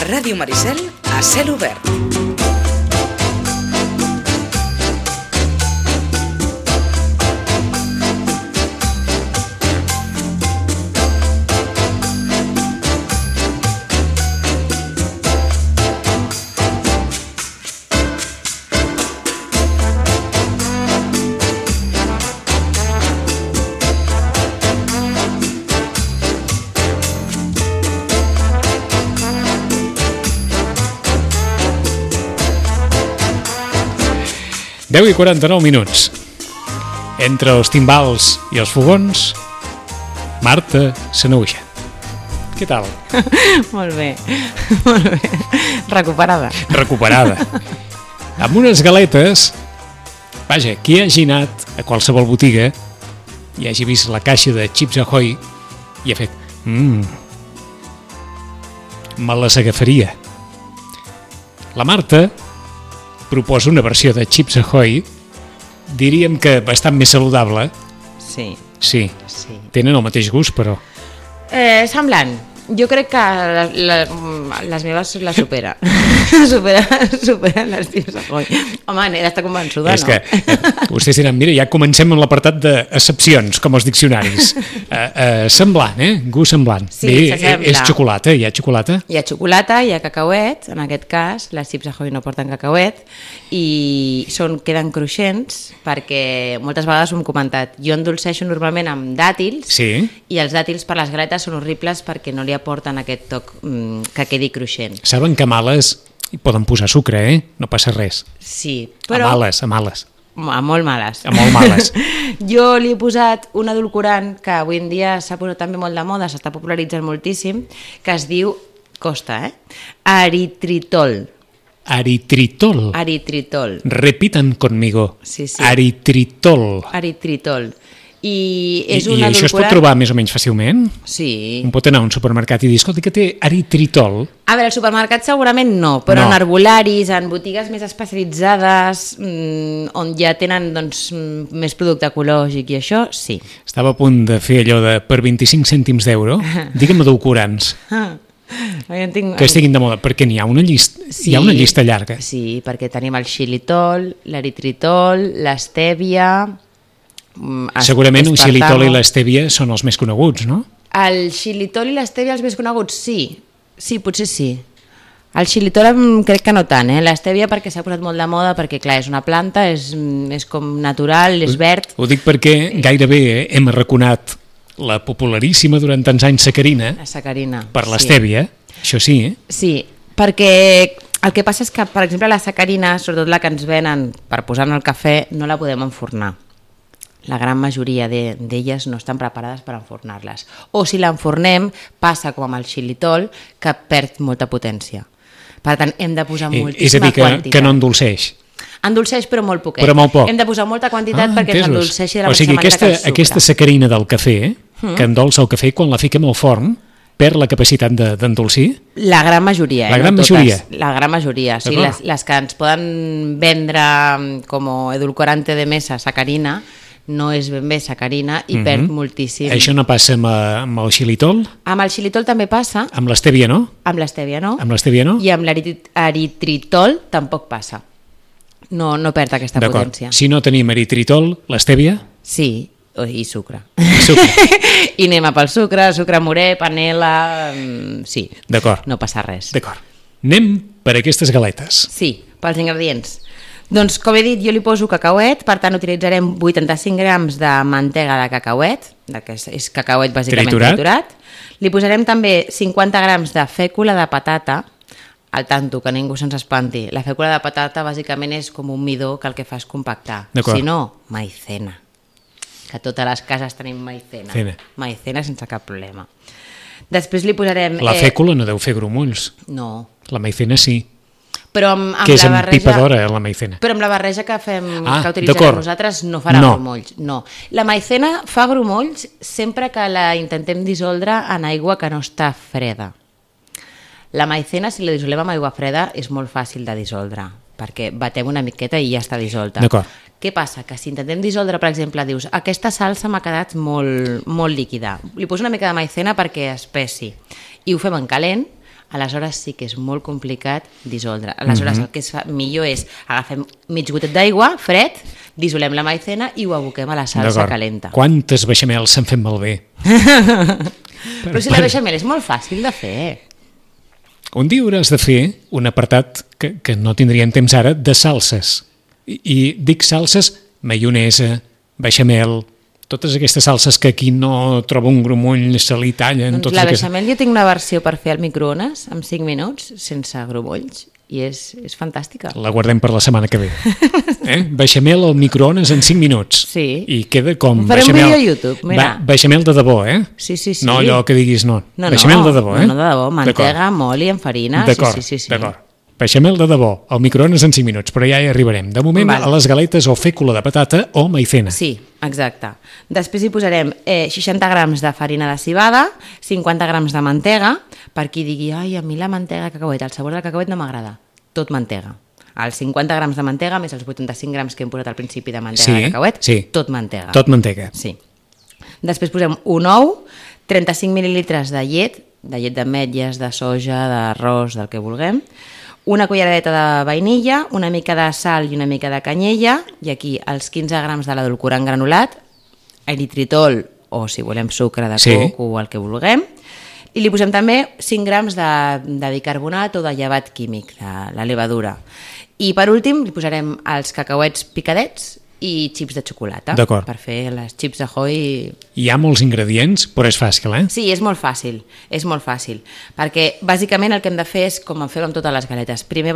Ràdio Maricel, a cel obert. Deu i 49 minuts. Entre els timbals i els fogons, Marta Sanaüja. Què tal? Molt bé, molt bé. Recuperada. Recuperada. Amb unes galetes, vaja, qui hagi anat a qualsevol botiga i hagi vist la caixa de Chips Ahoy i ha fet me les agafaria. La Marta proposa una versió de Chips Ahoy, diríem que bastant més saludable. Sí. Sí. Tenen el mateix gust, però... Semblant. Jo crec que les meves la supera. Superen les Chips Ahoy. Home, n'he d'estar convençuda, no? És que vostès diran, mira, ja comencem amb l'apartat d'excepcions, com els diccionaris. Semblant, gust semblant. Sí, s'assembla. És xocolata, hi ha xocolata? Hi ha xocolata, hi ha cacauet, en aquest cas, les Chips Ahoy no porten cacauet, i queden cruixents, perquè moltes vegades ho hem comentat. Jo endolceixo normalment amb dàtils, sí. I els dàtils per les galetes són horribles perquè no li aporten aquest toc que quedi cruixent. Saben que a males hi poden posar sucre, no passa res. Sí, però... A males. A molt males. A molt males. Jo li he posat un edulcorant que avui en dia s'ha posat també molt de moda, s'està popularitzant moltíssim, que es diu, eritritol. Eritritol. Repitan conmigo. Sí. Eritritol. I això es pot trobar més o menys fàcilment? Sí. Un pot anar a un supermercat i dir, escolta, que té eritritol? A veure, al supermercat segurament no, però en herbolaris, en botigues més especialitzades, on ja tenen més producte ecològic i això, sí. Estava a punt de fer allò de per 25 cèntims d'euro, digue'm edulcorants. Que estiguin de moda, perquè n'hi ha una llista, hi ha una llista llarga. Sí, perquè tenim el xilitol, l'eritritol, l'estèvia... Segurament un xilitol i l'estèvia són els més coneguts, no? El xilitol i l'estèvia els més coneguts, sí. Sí, potser sí. El xilitol crec que no tant, l'estèvia perquè s'ha posat molt de moda, perquè clar, és una planta, és com natural, és verd. Ho dic perquè gairebé hem arraconat la popularíssima durant tants anys sacarina. La sacarina. Per l'estèvia, això sí, Sí, perquè el que passa és que, per exemple, la sacarina, sobretot la que ens venen per posar en el cafè, no la podem enfornar. La gran majoria d'elles no estan preparades per enfornar-les. O si l'enfornem, passa com amb el xilitol, que perd molta potència. Per tant, hem de posar moltíssima quantitat. És a dir, que no endolceix. Endolceix, però molt poquet. Però molt poc. Hem de posar molta quantitat perquè s'endolceixi de la mateixa manera que el sucre. Aquesta sacarina del cafè, que endolça el cafè, quan la fiquem al forn, perd la capacitat d'endolcir? La gran majoria. La gran majoria? La gran majoria. Sí, les que ens poden vendre com edulcorante de mesa, sacarina, no és ben bé sacarina i perd moltíssim. Això no passa amb el xilitol? Amb el xilitol també passa. Amb l'estèvia no? Amb l'estèvia no. Amb l'estèvia no? I amb l'eritritol tampoc passa. No perd aquesta potència. Si no tenim eritritol, l'estèvia? Sí, i sucre. I anem pel sucre morè, panela... Sí, d'acord. No passa res. D'acord. Anem per aquestes galetes. Sí, pels ingredients. Doncs, com he dit, jo li poso cacauet, per tant utilitzarem 85 grams de mantega de cacauet, que és cacauet bàsicament triturat. Li posarem també 50 grams de fècula de patata, al tanto, que ningú se'ns espanti. La fècula de patata bàsicament és com un midó que el que fa és compactar. Si no, maicena. Que a totes les cases tenim maicena. Maicena sense cap problema. Després li posarem... La fècula no deu fer grumolls. No. La maicena sí. Però amb que és la barreja, empipadora, la maicena. Però amb la barreja que utilitzarem nosaltres no farà grumolls. No. La maicena fa grumolls sempre que la intentem dissoldre en aigua que no està freda. La maicena, si la dissolem amb aigua freda, és molt fàcil de dissoldre, perquè batem una miqueta i ja està dissolta. D'acord. Què passa? Que si intentem dissoldre, per exemple, dius, aquesta salsa m'ha quedat molt líquida. Li poso una mica de maicena perquè espessi. I ho fem en calent, aleshores sí que és molt complicat dissoldre. Aleshores el que es fa millor és agafem mig gotet d'aigua, fred, dissolem la maizena i ho aboquem a la salsa calenta. Quantes beixamels s'han fet malbé? Però si la beixamel és molt fàcil de fer. Un dia hauràs de fer un apartat que no tindríem temps ara de salses. I dic salses, maionesa, beixamel, totes aquestes salses que aquí no troba un grumoll, se li tallen... Doncs la beixamel jo tinc una versió per fer al microones en 5 minuts, sense grumolls, i és fantàstica. La guardem per la setmana que ve. Beixamel al microones en 5 minuts. Sí. I queda com farem beixamel... un vídeo a YouTube, mira. Beixamel de debò, Sí. No allò que diguis no. No, beixamel de debò, No, de debò, mantega, oli, amb farina... D'acord, sí. d'acord. Beixamel de debò, al microones en 5 minuts, però ja hi arribarem. De moment, a les galetes o fècula de patata o maizena. Sí, exacte. Després hi posarem 60 grams de farina de cibada, 50 grams de mantega, per qui digui, ai, a mi la mantega de cacauet, el sabor del cacauet no m'agrada. Tot mantega. Els 50 grams de mantega més els 85 grams que hem posat al principi de mantega de cacauet, tot mantega. Tot mantega. Sí. Després posem un ou, 35 mil·lilitres de llet d'ametlles, de soja, d'arròs, del que vulguem, una culleradeta de vainilla, una mica de sal i una mica de canyella, i aquí els 15 grams de l'edulcorant granulat, eritritol o si volem sucre de coco o el que vulguem, i li posem també 5 grams de bicarbonat o de llevat químic, de la levadura. I per últim li posarem els cacauets picadets i xips de xocolata per fer les xips Ahoy. Hi ha molts ingredients, però és fàcil, Sí, és molt fàcil, perquè bàsicament el que hem de fer és com en fem amb totes les galetes. Primer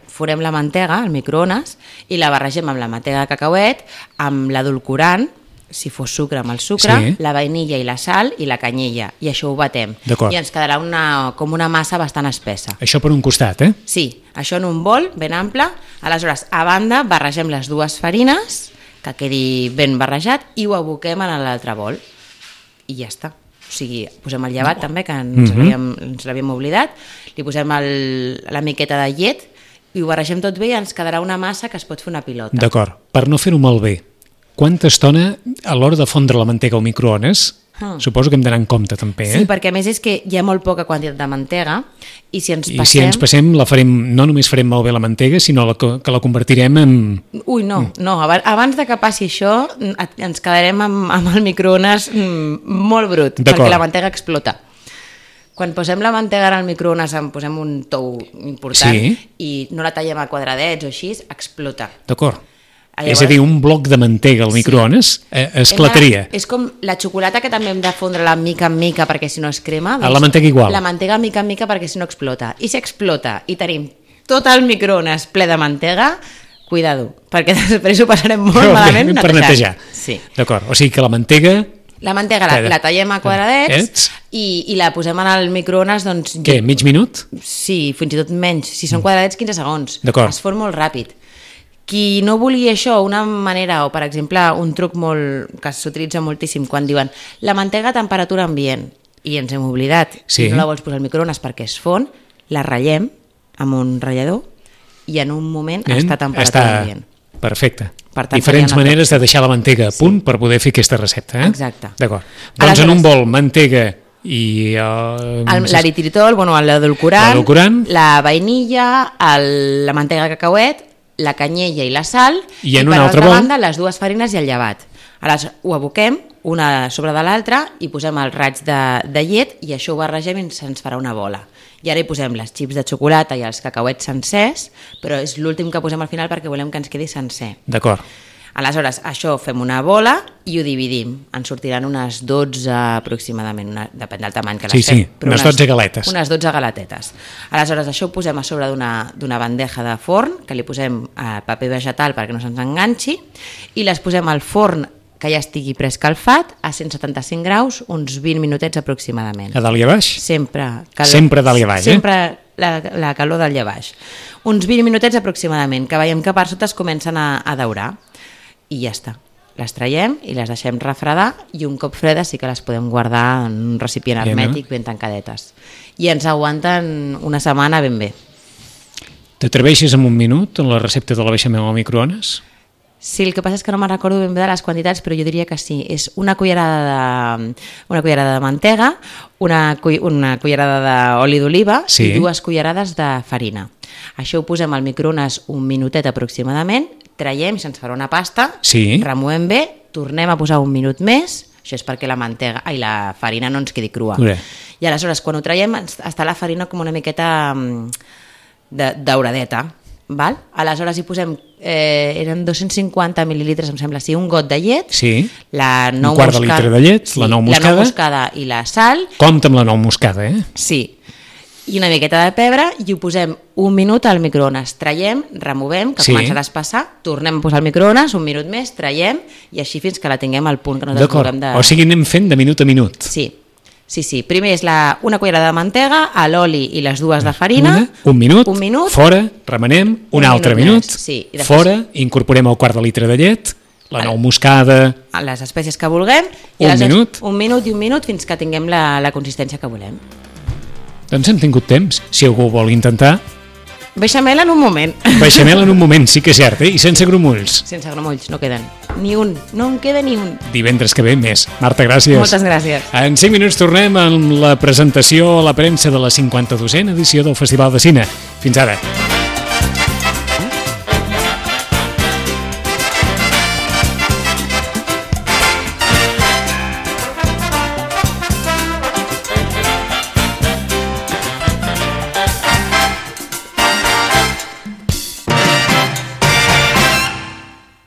forem la mantega al microones i la barregem amb la mantega de cacauet, amb l'edulcorant, si fos sucre amb el sucre, la vainilla i la sal i la canyella, i això ho batem. I ens quedarà com una massa bastant espessa. Això per un costat, Sí, això en un bol ben ample. Aleshores, a banda, barregem les dues farines, que quedi ben barrejat, i ho aboquem en l'altre bol. I ja està. O sigui, posem el llevat també, que ens l'havíem oblidat, li posem la miqueta de llet i ho barregem tot bé i ens quedarà una massa que es pot fer una pilota. D'acord. Per no fer-ho malbé, quanta estona a l'hora de fondre la mantega al microones? Suposo que hem d'anar en compte també, Sí, perquè a més és que hi ha molt poca quantitat de mantega i si ens passem... I si ens passem, no només farem malbé la mantega, sinó que la convertirem en... Ui, no, abans de que passi això ens quedarem amb el microones molt brut, perquè la mantega explota. Quan posem la mantega al microones, en posem un tou important i no la tallem a quadradets o així, explota. D'acord. És a dir, un bloc de mantega al microones esclataria. És com la xocolata que també hem de fondre-la mica en mica perquè si no es crema. La mantega igual. La mantega mica en mica perquè si no explota. I si explota i tenim tot el microones ple de mantega, cuidado, perquè després ho passarem molt malament per netejar. Sí. D'acord, o sigui que la mantega la tallem a quadradets i la posem en el microones, doncs... Què, mig minut? Sí, fins i tot menys. Si són quadradets, 15 segons. D'acord. Es fon molt ràpid. Qui no vulgui això, una manera, o per exemple un truc que s'utilitza moltíssim quan diuen la mantega a temperatura ambient i ens hem oblidat, si no la vols posar al microones perquè es fon, la ratllem amb un ratllador i en un moment està a temperatura ambient. Perfecte. Diferents maneres de deixar la mantega a punt per poder fer aquesta recepta. Exacte. D'acord. Doncs en un bol, mantega i... l'eritritol, l'edulcorant, la vainilla, la mantega de cacauet, la canyella i la sal, i per altra banda les dues farines i el llevat. Aleshores ho aboquem una sobre de l'altra i posem el raig de llet i això ho barregem i se'ns farà una bola. I ara hi posem les xips de xocolata i els cacauets sencers, però és l'últim que posem al final perquè volem que ens quedi sencer. D'acord. Aleshores, això fem una bola i ho dividim. En sortiran unes 12 aproximadament, depèn del tamany que les fem. Sí, unes 12 galetes. Unes 12 galetetes. Aleshores, això ho posem a sobre d'una bandeja de forn, que li posem paper vegetal perquè no se'ns enganxi, i les posem al forn que ja estigui preescalfat a 175 graus, uns 20 minutets aproximadament. A dalt i a baix? Sempre dalt i a baix, Sempre la calor dalt i a baix. Uns 20 minutets aproximadament, que veiem que per sota es comencen a daurar. I ja està. Les traiem i les deixem refredar i un cop fredes sí que les podem guardar en un recipient hermètic ben tancadetes. I ens aguanten una setmana ben bé. T'atreveixes en un minut en la recepta de la beixamel al microones? Sí, el que passa és que no me'n recordo ben bé de les quantitats, però jo diria que sí. És una cullerada de mantega, una cullerada d'oli d'oliva i 2 cullerades de farina. Això ho posem al microones un minutet aproximadament, traiem i se'ns farà una pasta, removem bé, tornem a posar un minut més, això és perquè la farina no ens quedi crua. I aleshores, quan ho traiem, està la farina com una miqueta dauradeta. Val? Aleshores hi posem eren 250 mil·lilitres, em sembla, un got de llet, un quart de litre de llet, la nou moscada i la sal. Compte amb la nou moscada, Sí, i una miqueta de pebre, i ho posem un minut al microones, traiem, removem, que comença a despassar, tornem a posar al microones, un minut més, traiem, i així fins que la tinguem al punt que no desvolguem de... O sigui, anem fent de minut a minut. Sí. Primer és una cullerada de mantega, l'oli i les 2 de farina. Un minut, fora, remenem, un altre minut, fora, incorporem el quart de litre de llet, la nou moscada... Les espècies que vulguem. Un minut fins que tinguem la consistència que volem. Doncs hem tingut temps, si algú vol intentar. Beixamel en un moment. Beixamel en un moment, sí que és cert, i sense grumolls. Sense grumolls, no queden ni un, no en queda ni un. Divendres que ve més. Marta, gràcies. Moltes gràcies. En 5 minuts tornem amb la presentació a la premsa de la 52a edició del Festival de Cine. Fins ara.